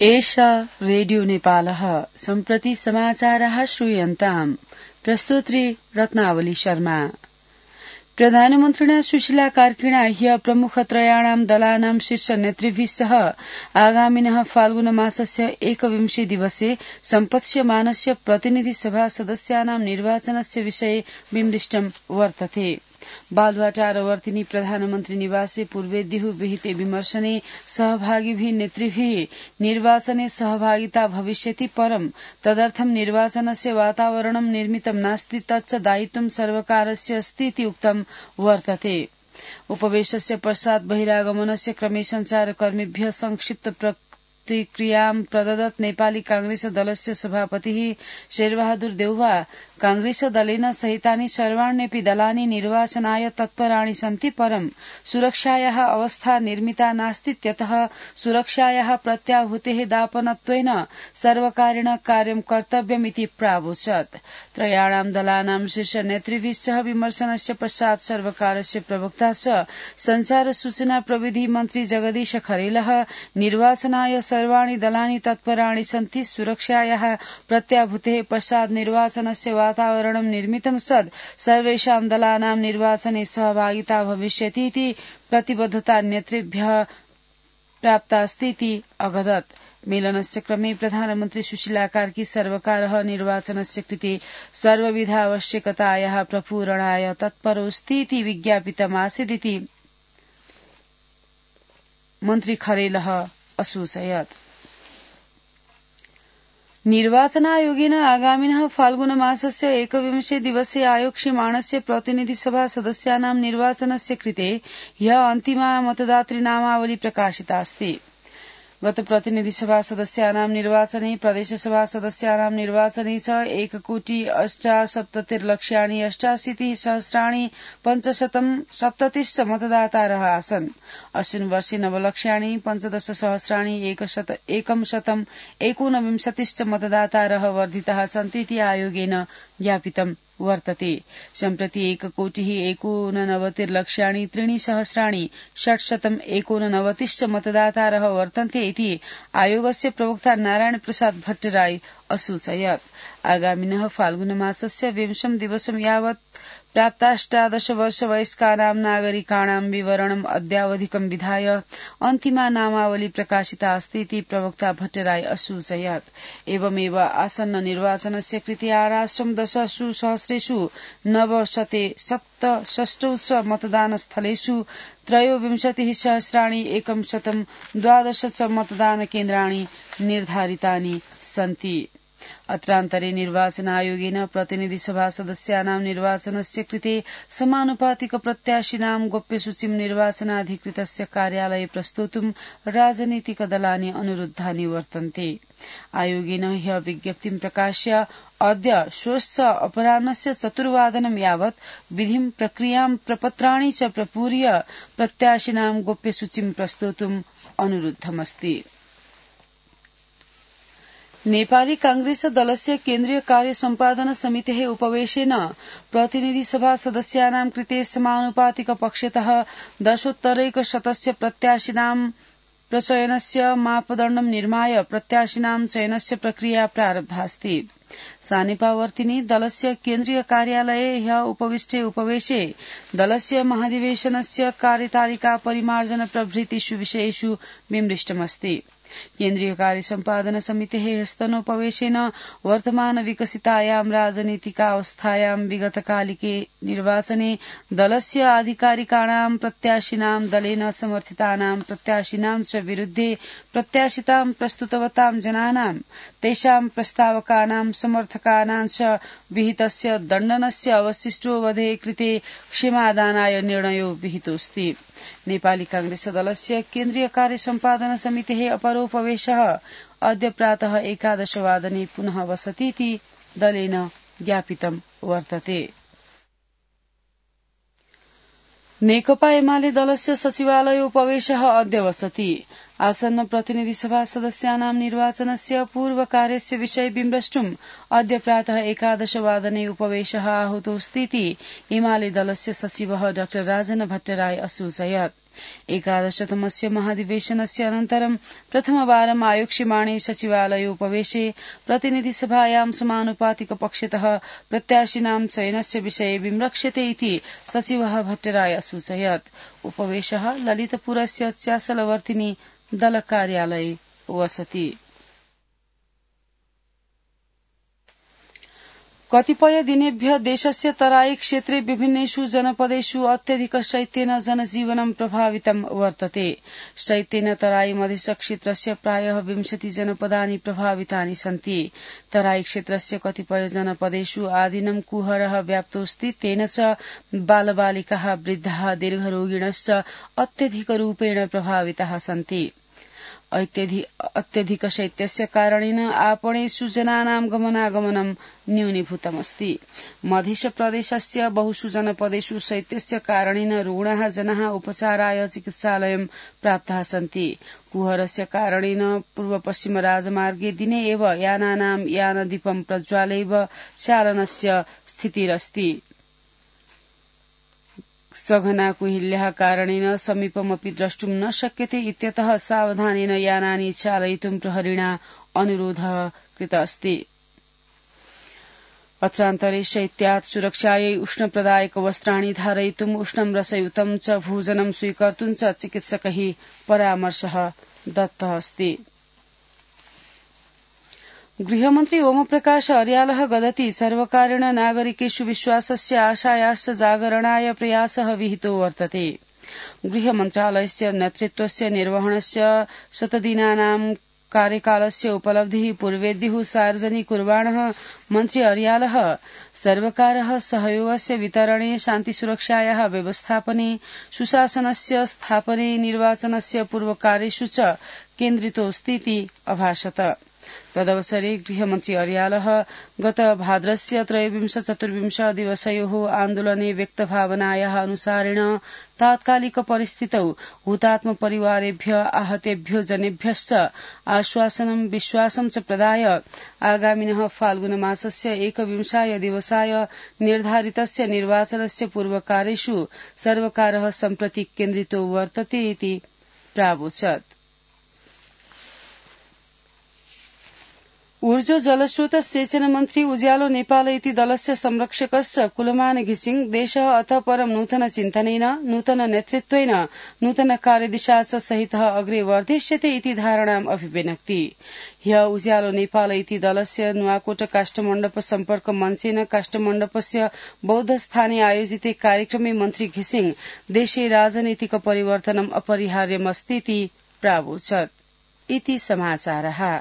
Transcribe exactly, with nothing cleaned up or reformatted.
एषा रेडियो नेपालः सम्प्रति समाचारः श्रूयन्ताम्। प्रस्तुत्री रत्नावली शर्मा। प्रधानमन्त्रिणा सुशीला कार्किणा ह्य प्रमुखत्रयाणां दलानां शीर्ष नेतृभिः सह आगामिनः फाल्गुन मासस्य एकविंशे दिवसे सम्पत्स्यमानस्य प्रतिनिधि सभा सदस्यानां निर्वाचनस्य विषये विमृष्टं वर्तते। बालुवाटारवर्तिनी प्रधानमन्त्री निवासे पूर्वेद्युः विहिते विमर्शने सहभागिभिः नेतृभिः निर्वाचने सहभागिता भविष्यति परं तदर्थं निर्वाचनस्य वातावरणं निर्मितं नास्ति तच्च दायित्वं सर्वकारस्य अस्ति इति उक्तं वर्तते। उपवेशस्य पश्चात् बहिरागमनस्य क्रमे संचारकर्मिभ्यः संक्षिप्त प्रतिक्रियां प्रददत् नेपाली कांग्रेस दलस्य सभापतिः शेरबहादुर देउवा कांग्रेस दलेन सहितानि सर्वाण्यपि दलानि निर्वाचनाय तत्पराणि सन्ति परं सुरक्षायाः अवस्था निर्मिता नास्तीत्यतः सुरक्षायाः प्रत्याभूतेः दापनत्वेन सर्वकारेण कार्यं कर्तव्यमिति प्रावोचत्। त्रयाणां दलानां शीर्ष नेतृभिः सह विमर्शनस्य पश्चात् सर्वकारस्य प्रवक्ता च संचार सूचना प्रविधि मन्त्री जगदीश खरेलः निर्वाचनाय सर्वाणि दलानि तत्पराणि सन्ति सुरक्षायाः प्रत्याभूतेः पश्चात् निर्वाचनस्य वातावरणं निर्मितं सद् सर्वेषां दलानां निर्वाचने सहभागिता भविष्यति इति प्रतिबद्धता नेतृभ्यः प्राप्तास्ति इति अवदत्। मेलनस्य क्रमे प्रधानमन्त्री सुशीला कार्की सर्वकारः निर्वाचनस्य कृते सर्वविधावश्यकतायाः प्रपूरणाय तत्परोऽस्ति इति विज्ञापितमासीदिति मन्त्री खरेलः असूचयत्। निर्वाचनायोगेन आगामिनः फाल्गुन मासस्य एकविंशे दिवसे आयोक्ष्यमाणस्य प्रतिनिधिसभा सदस्यानां निर्वाचनस्य कृते ह्यः अन्तिमा मतदातृनामावली प्रकाशिता अस्ति। गत प्रतिनिधिसभा सदस्यानां निर्वाचने प्रदेशसभा सदस्यानां निर्वाचने च एककोटि अष्टासप्ततिर्लक्षाणि अष्टाशीतिः सहस्राणि पञ्चशतं सप्ततिश्च मतदातारः आसन्। अस्मिन् वर्षे नवलक्षाणि पञ्चदश सहस्राणि एकं शतं एकोनविंशतिश्च मतदातारः वर्धिताः सन्ति इति आयोगेन ज्ञापितं वर्तते। सम्प्रति एककोटिः एकोननवतिर्लक्षाणि त्रीणि सहस्राणि षट्शतं एकोननवतिश्च मतदातारः वर्तन्ते इति आयोगस्य प्रवक्ता नारायण प्रसाद भट्टराई असूचयत्। आगामिनः फाल्गुन मासस्य विंशं दिवसं यावत् प्राप्ताष्टादश वर्ष वयस्कानां नागरिकाणां विवरणम् अद्यावधिकं विधाय अन्तिमा नामावली प्रकाशिता अस्ति इति प्रवक्ता भट्टराई असूचयत्। एवमेव आसन्न निर्वाचनस्य कृते आराष्ट्रं दशसु सहस्रेषु नवशते सप्तषष्टौ मतदानस्थलेषु त्रयोविंशतिः सहस्राणि एकं शतं द्वादश च मतदानकेन्द्राणि निर्धारितानि सन्ति। अत्रान्तरे निर्वाचन आयोगेन प्रतिनिधिसभा सदस्यानां निर्वाचनस्य कृते समानुपातिक प्रत्याशिनां गोप्यसूचीं निर्वाचनाधिकृतस्य कार्यालये प्रस्तोतुं राजनीतिकदलानि अनुरुद्धानि वर्तन्ते। आयोगेन ह्यः विज्ञप्तिं प्रकाश्य अद्य श्वश्च अपराह्नस्य चतुर्वादनं यावत् विधिं प्रक्रियां प्रपत्राणि च प्रपूर्य प्रत्याशिनां गोप्यसूचीं प्रस्तोतुम् अनुरुद्धमस्ति। नेपाली कांग्रेस दलस्य केन्द्रीय कार्य सम्पादन समितेः उपवेशेन प्रतिनिधिसभा सदस्यानां कृते समानुपातिक पक्षतः दशोत्तरैकशतस्य प्रत्याशिनां प्रचयनस्य मापदण्डं निर्माय प्रत्याशिनां चयनस्य प्रक्रिया प्रारब्धास्ति। सानिपावर्तिनी दलस्य केन्द्रीय कार्यालये ह्यः उपविष्टे उपवेशे दलस्य महाधिवेशनस्य कार्यतालिका परिमार्जन प्रभृतिषु विषयेषु विमृष्टमस्ति। केन्द्रीय कार्य सम्पादन समितेः ह्यस्तनोपवेशेन वर्तमान विकसितायां राजनीतिकावस्थायां विगतकालिके निर्वाचने दलस्य आधिकारिकाणां प्रत्याशिनां दलेन समर्थितानां प्रत्याशिनां च विरुद्धे प्रत्याशितां प्रस्तुतवतां जनानां तेषां प्रस्तावकानां समर्थकानां च विहितस्य दण्डनस्य अवशिष्टोवधेः कृते क्षमादानाय निर्णयो विहितोऽस्ति। नेपाली कांग्रेस दलस्य केन्द्रीय कार्य सम्पादन समितेः अपरोपवेशः अद्य प्रातः एकादशवादने पुनः वसति इति दलेन ज्ञापितं वर्तते। नेकपा एमाले दलस्य सचिवालय उपवेशः अद्य वसति। आसन्न प्रतिनिधिसभा सदस्यानां निर्वाचनस्य पूर्वकार्यस्य विषये विमृष्टुम् अद्य प्रातः एकादशवादने उपवेशः आहूतोऽस्ति इति एमाले दलस्य सचिवः डाक्टर राजन भट्टराई असूचयत्। एकादशतमस्य महाधिवेशनस्य अनन्तरं प्रथमवारम् आयोक्ष्यमाणे सचिवालयोपवेशे प्रतिनिधिसभायां समानुपातिक पक्षतः प्रत्याशिनां चयनस्य विषये विमृक्ष्यते इति सचिवः भट्टराय असूचयत्। उपवेशः ललितपुरस्य च्यासलवर्तिनी दलकार्यालये वसति। कतिपय दिनेभ्य देशस्य तराई क्षेत्रे विभिन्नेषु जनपदेषु अत्यधिक शैत्येन जनजीवनं प्रभावितं वर्तते। शैत्येन तराई मधेस क्षेत्रस्य प्रायः विंशति जनपदानि प्रभावितानि सन्ति। तराई क्षेत्रस्य कतिपय जनपदेषु आदिनं कुहरः व्याप्तोऽस्ति। तेन च बालबालिकाः, वृद्धाः, दीर्घरोगिणश्च अत्यधिकरूपेण प्रभाविताः सन्ति। अत्यधिक शैत्यस्य कारणेन आपणेषु जनानां गमनागमनं न्यूनीभूतमस्ति। मध्यप्रदेशस्य बहुषु जनपदेषु शैत्यस्य कारणेन रुग्णाः जनाः उपचाराय चिकित्सालयं प्राप्ताः सन्ति। कुहरस्य कारणेन पूर्व पश्चिम राजमार्गे दिने एव यानानां यानदीपं प्रज्वाल्यैव चालनस्य स्थितिरस्ति। सघना कुहिल्याः कारणेन समीपमपि द्रष्टुं न शक्यते इत्यतः सावधानेन यानानि चालयितुं प्रहरिणा अनुरोधः कृतः अस्ति। अत्रान्तरे शैत्यात् सुरक्षायै उष्णप्रदायक वस्त्राणि धारयितुं उष्णं रसयुतं च भोजनं स्वीकर्तुं च चिकित्सकैः परामर्शः दत्तः अस्ति। गृहमन्त्री ओमप्रकाश अर्यालः वदति सर्वकारेण नागरिकेषु विश्वासस्य आशायाश्च जागरणाय प्रयासः विहितो वर्तते। गृहमन्त्रालयस्य नेतृत्वस्य निर्वहणस्य शतदिनानां कार्यकालस्य उपलब्धिः पूर्वेद्युः सार्वजनिकुर्वाणः मन्त्री अर्यालः सर्वकारः सहयोगस्य वितरणे, शान्तिसुरक्षायाः व्यवस्थापने, सुशासनस्य स्थापने, निर्वाचनस्य पूर्वकार्येषु च केन्द्रितोऽस्तीति अभाषत। तदवसरे गृहमन्त्री अर्यालः गत भाद्रस्य त्रयोविंश चतुर्विंश दिवसयोः आन्दोलने व्यक्तभावनायाः अनुसारेण तात्कालिक परिस्थितौ हुतात्म परिवारेभ्य आहतेभ्यो जनेभ्यश्च आश्वासनं विश्वासं च प्रदाय आगामिनः फाल्गुनमासस्य एकविंशाय दिवसाय निर्धारितस्य निर्वाचनस्य पूर्वकार्येषु सर्वकारः सम्प्रति केन्द्रितो वर्तते इति प्रावोचत्। ऊर्जा जलस्रोत सेचन मन्त्री उज्यालो नेपाल इति दलस्य संरक्षकस्य कुलमान घिसिङ देशः अतः परं नूतन चिन्तनेन, नूतन नेतृत्वेन, नूतन कार्यदिशा च सहितः अग्रे वर्धिष्यते इति धारणाम् अभिव्यनक्ति। ह्य उज्यालो नेपाल इति दलस्य नुवाकोट काष्ठमण्डप सम्पर्क मञ्चेन काष्ठमण्डपस्य बौद्धस्थाने आयोजिते कार्यक्रमे मन्त्री घिसिङ देशे राजनीतिक परिवर्तनम् अपरिहार्यमस्तीति प्रावोचत्। इति समाचारः।